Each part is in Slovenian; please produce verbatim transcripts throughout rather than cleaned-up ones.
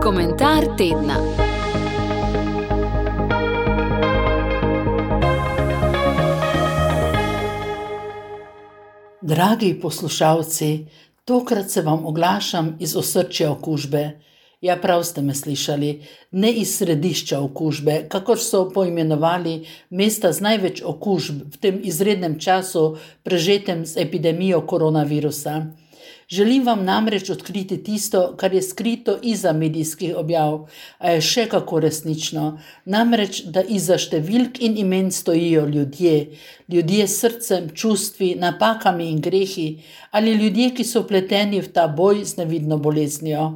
Komentar tedna. Dragi poslušalci, tokrat se vam oglašam iz osrčja okužbe. Ja, prav ste me slišali, ne iz središča okužbe, kakor so poimenovali mesta z največ okužb v tem izrednem času, prežetem z epidemijo koronavirusa. Želim vam namreč odkriti tisto, kar je skrito iza medijskih objav, a je še kako resnično. Namreč, da iza številk in imen stojijo ljudje, ljudje s srcem, čustvi, napakami in grehi, ali ljudje, ki so vpleteni v ta boj z nevidno boleznijo.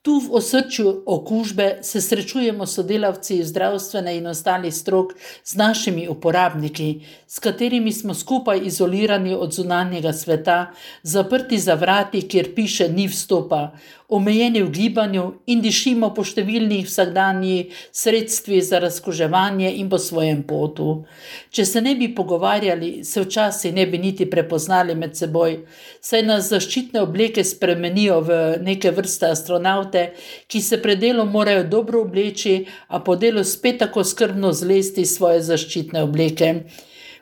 Tu v osrčju okužbe se srečujemo sodelavci zdravstvene in ostalih strok z našimi uporabniki, s katerimi smo skupaj izolirani od zunanjega sveta, zaprti za vrati, kjer piše ni vstopa, omejeni v gibanju in dišimo po številnih vsakdanjih sredstvih za razkuževanje in po svojem potu. Če se ne bi pogovarjali, se včasih ne bi niti prepoznali med seboj, saj nas zaščitne obleke spremenijo v neke vrste astronaute, ki se pred delom morajo dobro obleči, a po delu spet tako skrbno zlesti svoje zaščitne obleke.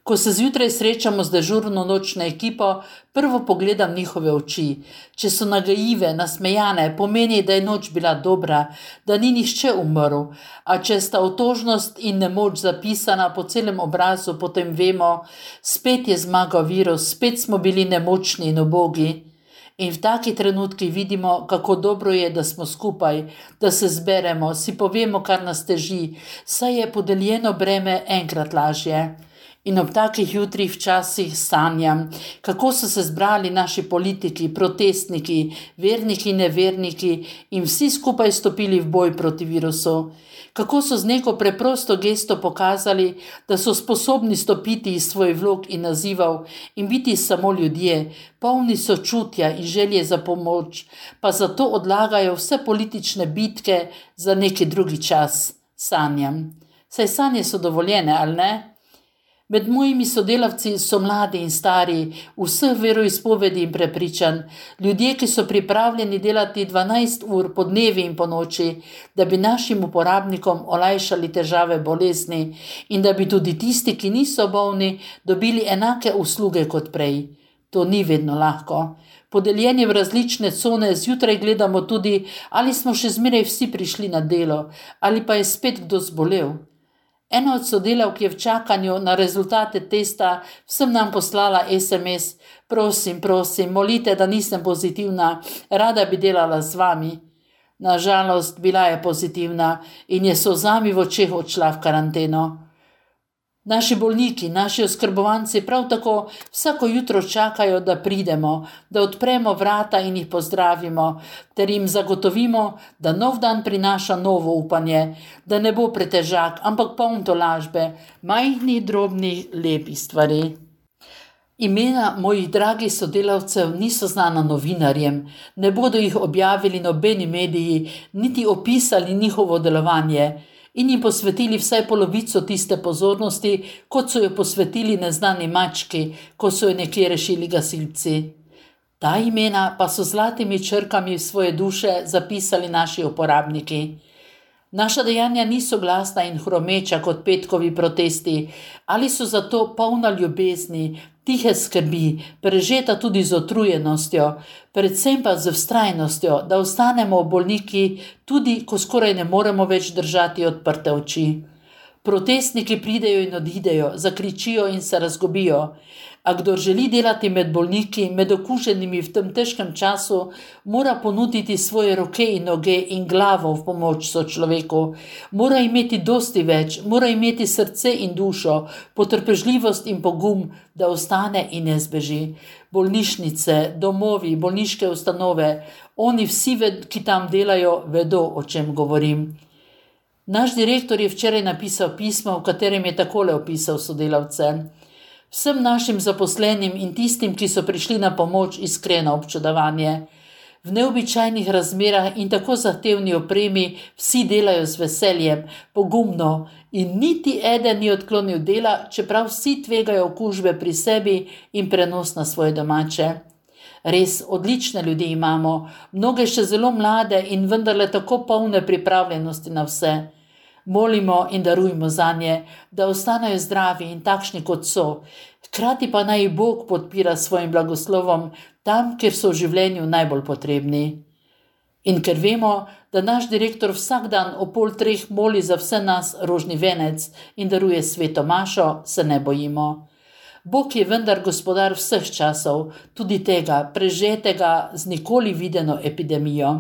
Ko se zjutraj srečamo z dežurno nočno ekipo, prvo pogledam njihove oči. Če so nagajive, nasmejane, pomeni, da je noč bila dobra, da ni nihče umrl, a če sta otožnost in nemoč zapisana po celem obrazu, potem vemo, spet je zmagal virus, spet smo bili nemočni in ubogi. In v taki trenutki vidimo, kako dobro je, da smo skupaj, da se zberemo, si povemo, kar nas teži, saj je podeljeno breme enkrat lažje. In ob takih jutrih včasih sanjam, kako so se zbrali naši politiki, protestniki, verniki in neverniki in vsi skupaj stopili v boj proti virusu. Kako so z neko preprosto gesto pokazali, da so sposobni stopiti iz svojih vlog in nazivov in biti samo ljudje, polni sočutja in želje za pomoč, pa zato odlagajo vse politične bitke za neki drugi čas. Sanjam. Saj sanje so dovoljene, ali ne? Med mojimi sodelavci so mladi in stari, vseh veroizpovedi in prepričanj, ljudje, ki so pripravljeni delati dvanajst ur po dnevi in po noči, da bi našim uporabnikom olajšali težave bolezni in da bi tudi tisti, ki niso bolni, dobili enake usluge kot prej. To ni vedno lahko. Podeljeni v različne cone zjutraj gledamo tudi, ali smo še zmeraj vsi prišli na delo, ali pa je spet kdo zbolel. Ena od sodelavk je v čakanju na rezultate testa vsem nam poslala es em es: prosim, prosim, molite, da nisem pozitivna, rada bi delala z vami. Na žalost, bila je pozitivna in je s solzami v očeh odšla v karanteno. Naši bolniki, naši oskrbovanci prav tako vsako jutro čakajo, da pridemo, da odpremo vrata in jih pozdravimo, ter jim zagotovimo, da nov dan prinaša novo upanje, da ne bo pretežak, ampak poln tolažbe, majhnih, drobnih, lepih stvari. Imena mojih dragih sodelavcev niso znana novinarjem, ne bodo jih objavili nobeni mediji, niti opisali njihovo delovanje in jim posvetili vsaj polovico tiste pozornosti, kot so jo posvetili neznani mački, ko so jo nekje rešili gasilci. Ta imena pa so zlatimi črkami v svoje duše zapisali naši uporabniki. Naša dejanja niso glasna in hromeča kot petkovi protesti, ali so zato polna ljubezni, tihe skrbi, prežeta tudi z utrujenostjo, predvsem pa z vztrajnostjo, da ostanemo bolniki, tudi ko skoraj ne moremo več držati odprte oči. Protestniki pridejo in odidejo, zakričijo in se razgobijo, a kdor želi delati med bolniki, med okuženimi v tem težkem času, mora ponuditi svoje roke in noge in glavo v pomoč sočloveku. Mora imeti dosti več, mora imeti srce in dušo, potrpežljivost in pogum, da ostane in ne zbeži. Bolnišnice, domovi, bolniške ustanove, oni vsi, ki tam delajo, vedo, o čem govorim. Naš direktor je včeraj napisal pismo, v katerem je takole opisal sodelavce. Vsem našim zaposlenim in tistim, ki so prišli na pomoč, iskreno občudovanje. V neobičajnih razmerah in tako zahtevni opremi vsi delajo z veseljem, pogumno in niti eden ni odklonil dela, čeprav vsi tvegajo okužbe pri sebi in prenos na svoje domače. Res odlične ljudi imamo, mnoge še zelo mlade in vendarle tako polne pripravljenosti na vse. Molimo in darujmo zanje, da ostanejo zdravi in takšni, kot so. Hkrati pa naj jih Bog podpira s svojim blagoslovom tam, kjer so v življenju najbolj potrebni. In ker vemo, da naš direktor vsak dan o pol treh moli za vse nas rožni venec in daruje sveto mašo, se ne bojimo. Bog je vendar gospodar vseh časov, tudi tega, prežetega z nikoli videno epidemijo.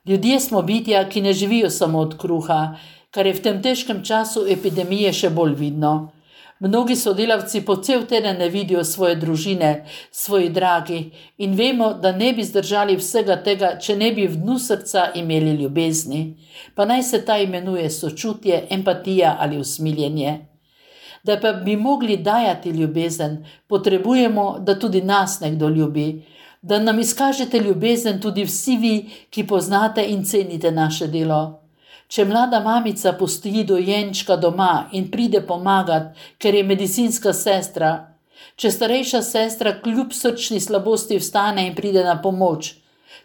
Ljudje smo bitja, ki ne živijo samo od kruha, kar je v tem težkem času epidemije še bolj vidno. Mnogi sodelavci po cel teden ne vidijo svoje družine, svojih dragih in vemo, da ne bi zdržali vsega tega, če ne bi v dnu srca imeli ljubezni, pa naj se ta imenuje sočutje, empatija ali usmiljenje. Da pa bi mogli dajati ljubezen, potrebujemo, da tudi nas nekdo ljubi, da nam izkažete ljubezen tudi vsi vi, ki poznate in cenite naše delo. Če mlada mamica pusti dojenčka doma in pride pomagat, ker je medicinska sestra, če starejša sestra kljub srčni slabosti vstane in pride na pomoč,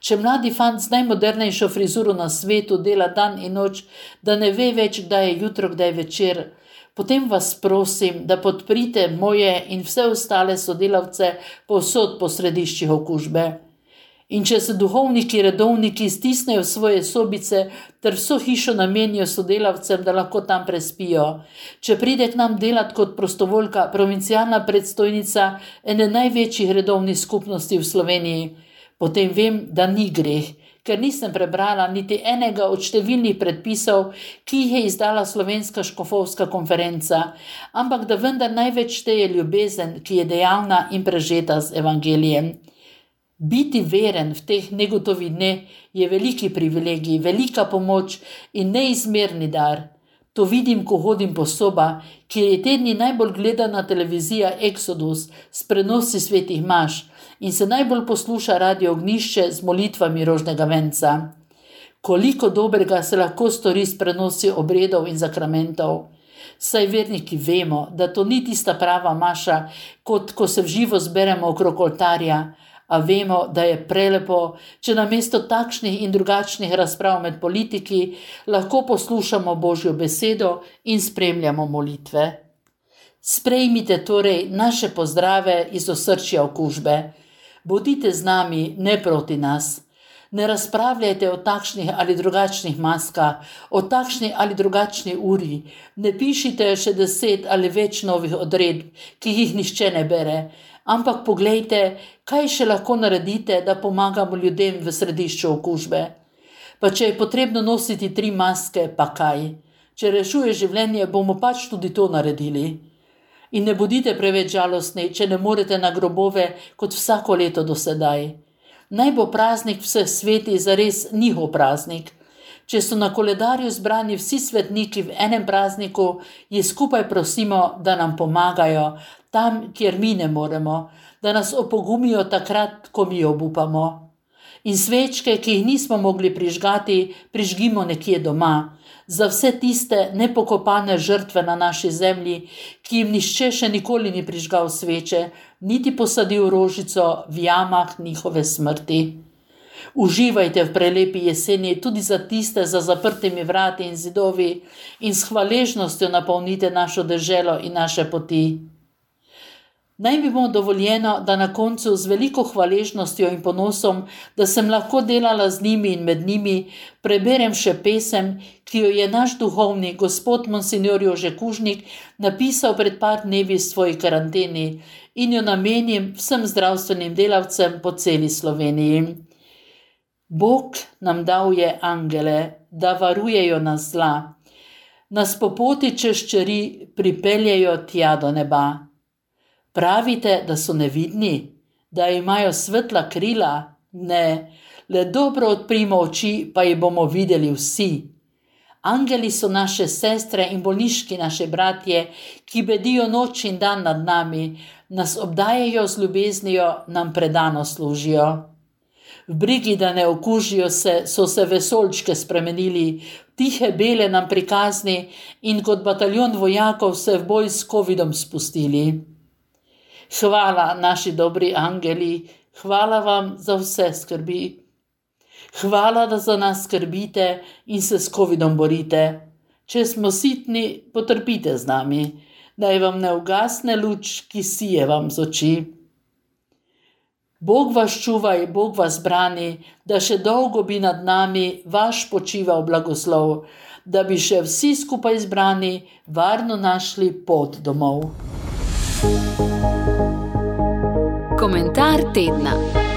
če mladi fant z najmodernejšo frizuro na svetu dela dan in noč, da ne ve več, kdaj je jutro, kdaj je večer, potem vas prosim, da podprite moje in vse ostale sodelavce povsod po središčih okužbe. In če se duhovniki, redovniki stisnejo v svoje sobice ter vso hišo namenijo sodelavcem, da lahko tam prespijo, če pride k nam delat kot prostovoljka provincialna predstojnica ene največjih redovnih skupnosti v Sloveniji, potem vem, da ni greh, ker nisem prebrala niti enega od številnih predpisov, ki jih je izdala Slovenska škofovska konferenca, ampak da vendar največ šteje ljubezen, ki je dejavna in prežeta z evangelijem. Biti veren v teh negotovih dneh je veliki privilegij, velika pomoč in neizmerni dar. To vidim, ko hodim po sobah, kjer je tedni najbolj gledana televizija Exodus s prenosi svetih maš in se najbolj posluša radio Ognišče z molitvami rožnega venca. Koliko dobrega se lahko stori s prenosi obredov in zakramentov. Saj verniki vemo, da to ni tista prava maša, kot ko se v živo zberemo okrog oltarja, a vemo, da je prelepo, če namesto takšnih in drugačnih razprav med politiki lahko poslušamo Božjo besedo in spremljamo molitve. Sprejmite torej naše pozdrave iz osrčja okužbe. Bodite z nami, ne proti nas. Ne razpravljajte o takšnih ali drugačnih maskah, o takšni ali drugačni uri. Ne pišite še deset ali več novih odredb, ki jih nihče ne bere. Ampak poglejte, kaj še lahko naredite, da pomagamo ljudem v središču okužbe. Pa če je potrebno nositi tri maske, pa kaj? Če rešuje življenje, bomo pač tudi to naredili. In ne bodite preveč žalostni, če ne morete na grobove kot vsako leto do sedaj. Naj bo praznik vseh sveti zares njihov praznik. Če so na koledarju zbrani vsi svetniki v enem prazniku, jih skupaj prosimo, da nam pomagajo, tam, kjer mi ne moremo, da nas opogumijo takrat, ko mi obupamo. In svečke, ki jih nismo mogli prižgati, prižgimo nekje doma, za vse tiste nepokopane žrtve na naši zemlji, ki jim nihče še nikoli ni prižgal sveče, niti posadil rožico v jamah njihove smrti. Uživajte v prelepi jeseni tudi za tiste za zaprtimi vrati in zidovi in s hvaležnostjo napolnite našo deželo in naše poti. Naj bi mu dovoljeno, da na koncu z veliko hvaležnostjo in ponosom, da sem lahko delala z njimi in med njimi, preberem še pesem, ki jo je naš duhovni gospod Monsignor Jože Kužnik napisal pred par dnevi v svoji karanteni in jo namenim vsem zdravstvenim delavcem po celi Sloveniji. Bog nam dal je angele, da varujejo nas zla. Nas po poti čez čeri pripeljejo tja do neba. Pravite, da so nevidni, da imajo svetla krila? Ne, le dobro odprimo oči, pa jih bomo videli vsi. Angeli so naše sestre in bolniški naše bratje, ki bedijo noč in dan nad nami, nas obdajajo z ljubeznijo, nam predano služijo. V brigi, da ne okužijo se, so se vesoljčke spremenili, tihe bele nam prikazni in kot bataljon vojakov se v boj s covidom spustili. Hvala, naši dobri angeli, Hvala vam za vse skrbi. Hvala, da za nas skrbite in se s covidom borite. Če smo sitni, potrpite z nami. Naj vam ne ugasne luč, ki sije vam z oči. Bog vas čuvaj, Bog vas brani, da še dolgo bi nad nami vaš počival blagoslov, da bi še vsi skupaj zbrani varno našli pot domov. Komentar tedna.